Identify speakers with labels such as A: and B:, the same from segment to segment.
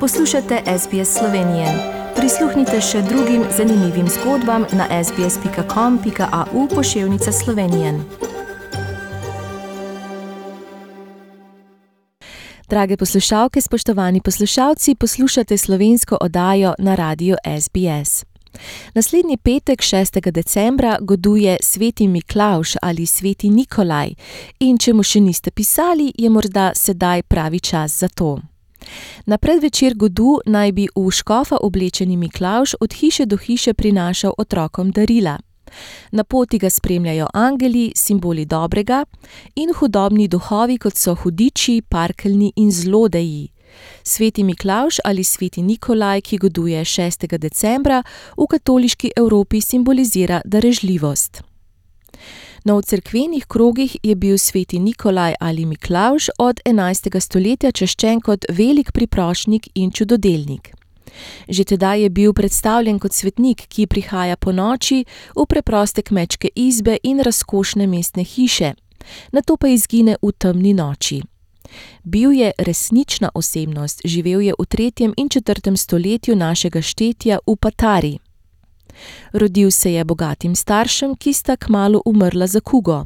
A: Poslušate SBS Slovenije. Prisluhnite še drugim zanimivim zgodbam na sbs.com.au/Slovenije. Drage poslušalke, spoštovani poslušalci, poslušate slovensko oddajo na radiu SBS. Naslednji petek, 6. decembra, goduje Sveti Miklavž ali Sveti Nikolaj in če mu še niste pisali, je morda sedaj pravi čas za to. Na predvečer godu naj bi v škofa oblečeni Miklavž od hiše do hiše prinašal otrokom darila. Na poti ga spremljajo angeli, simboli dobrega, in hudobni duhovi, kot so hudiči, parkeljni in zlodeji. Sveti Miklavž ali Sveti Nikolaj, ki goduje 6. decembra, v katoliški Evropi simbolizira darežljivost. No, v cerkvenih krogih je bil Sveti Nikolaj ali Miklavž od 11. stoletja čaščen kot velik priprošnjik in čudodelnik. Že tedaj je bil predstavljen kot svetnik, ki prihaja ponoči v preproste kmečke izbe in razkošne mestne hiše, nato pa izgine v temni noči. Bil je resnična osebnost, živel je v 3. in 4. stoletju našega štetja v Patari. Rodil se je bogatim staršem, ki sta kmalu umrla za kugo.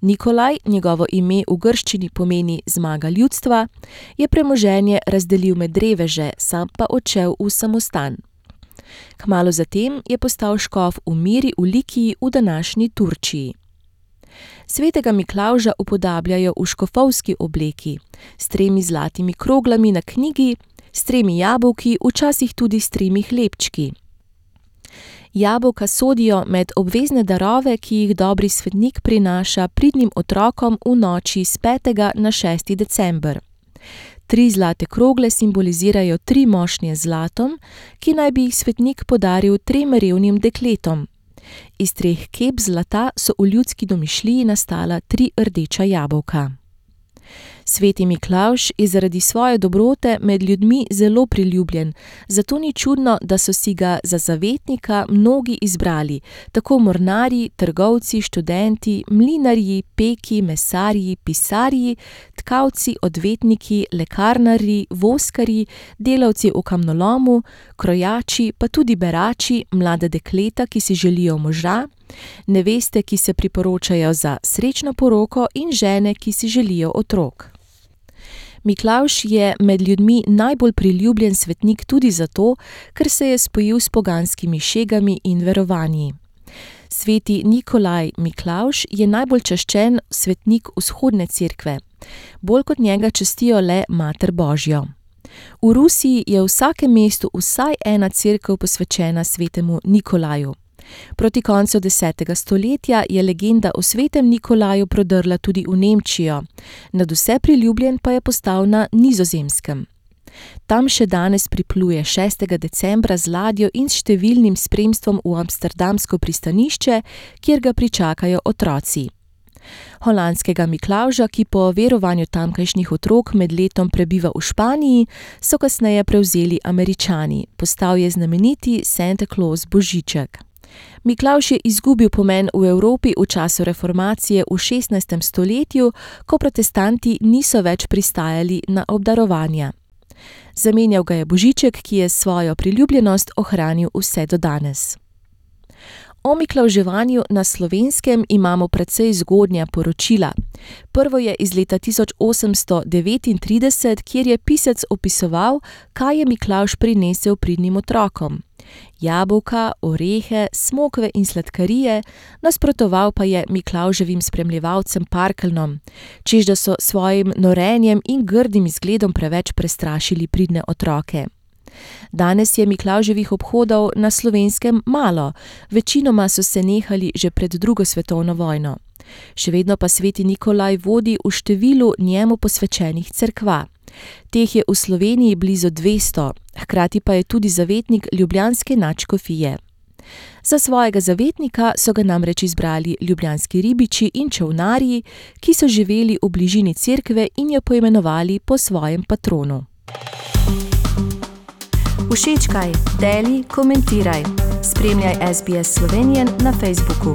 A: Nikolaj, njegovo ime v grščini pomeni zmaga ljudstva, je premoženje razdelil med reveže, sam pa odšel v samostan. Kmalu zatem je postal škof v Miri v Likiji v današnji Turčiji. Svetega Miklavža upodabljajo v škofovski obleki, s 3 zlatimi kroglami na knjigi, s 3 jabolki, včasih tudi s 3 hlebčki. Jabolka sodijo med obvezne darove, ki jih dobri svetnik prinaša pridnim otrokom v noči s 5. na 6. december. 3 zlate krogle simbolizirajo 3 mošnje z zlatom, ki naj bi jih svetnik podaril 3 revnim dekletom. Iz 3 kep zlata so v ljudski domišljiji nastala 3 rdeča jabolka. Sveti Miklavž je zaradi svoje dobrote med ljudmi zelo priljubljen, zato ni čudno, da so si ga za zavetnika mnogi izbrali, tako mornarji, trgovci, študenti, mlinarji, peki, mesarji, pisarji, tkavci, odvetniki, lekarnarji, voskarji, delavci v kamnolomu, krojači, pa tudi berači, mlada dekleta, ki si želijo moža, neveste, ki se priporočajo za srečno poroko in žene, ki si želijo otrok. Miklavž je med ljudmi najbolj priljubljen svetnik tudi zato, ker se je spojil s poganskimi šegami in verovanji. Sveti Nikolaj Miklavž je najbolj čaščen svetnik vzhodne cerkve. Bolj kot njega častijo le Mater Božjo. V Rusiji je v vsakem mestu vsaj ena cerkev posvečena svetemu Nikolaju. Proti koncu 10. stoletja je legenda o svetem Nikolaju prodrla tudi v Nemčijo, nadvse priljubljen pa je postal na Nizozemskem. Tam še danes pripluje 6. decembra z ladjo in s številnim spremstvom v amsterdamsko pristanišče, kjer ga pričakajo otroci. Holandskega Miklavža, ki po verovanju tamkajšnjih otrok med letom prebiva v Španiji, so kasneje prevzeli Američani. Postal je znameniti Santa Claus Božiček. Miklavž je izgubil pomen v Evropi v času reformacije v 16. stoletju, ko protestanti niso več pristajali na obdarovanja. Zamenjal ga je Božiček, ki je svojo priljubljenost ohranil vse do danes. O miklavževanju na Slovenskem imamo precej zgodnja poročila. Prvo je iz leta 1839, kjer je pisec opisoval, kaj je Miklavž prinesel pridnim otrokom. Jabolka, orehe, smokve in sladkarije, nasprotoval pa je Miklavževim spremljevalcem parkeljnom, češ da so svojim norenjem in grdim izgledom preveč prestrašili pridne otroke. Danes je Miklavževih obhodov na Slovenskem malo, večinoma so se nehali že pred 2. svetovno vojno. Še vedno pa sveti Nikolaj vodi v številu njemu posvečenih cerkva. Teh je v Sloveniji blizu 200, hkrati pa je tudi zavetnik ljubljanske nadškofije. Za svojega zavetnika so ga namreč izbrali ljubljanski ribiči in čolnarji, ki so živeli v bližini cerkve in jo poimenovali po svojem patronu. Všečkaj, deli, komentiraj. Spremljaj SBS Slovenijo na Facebooku.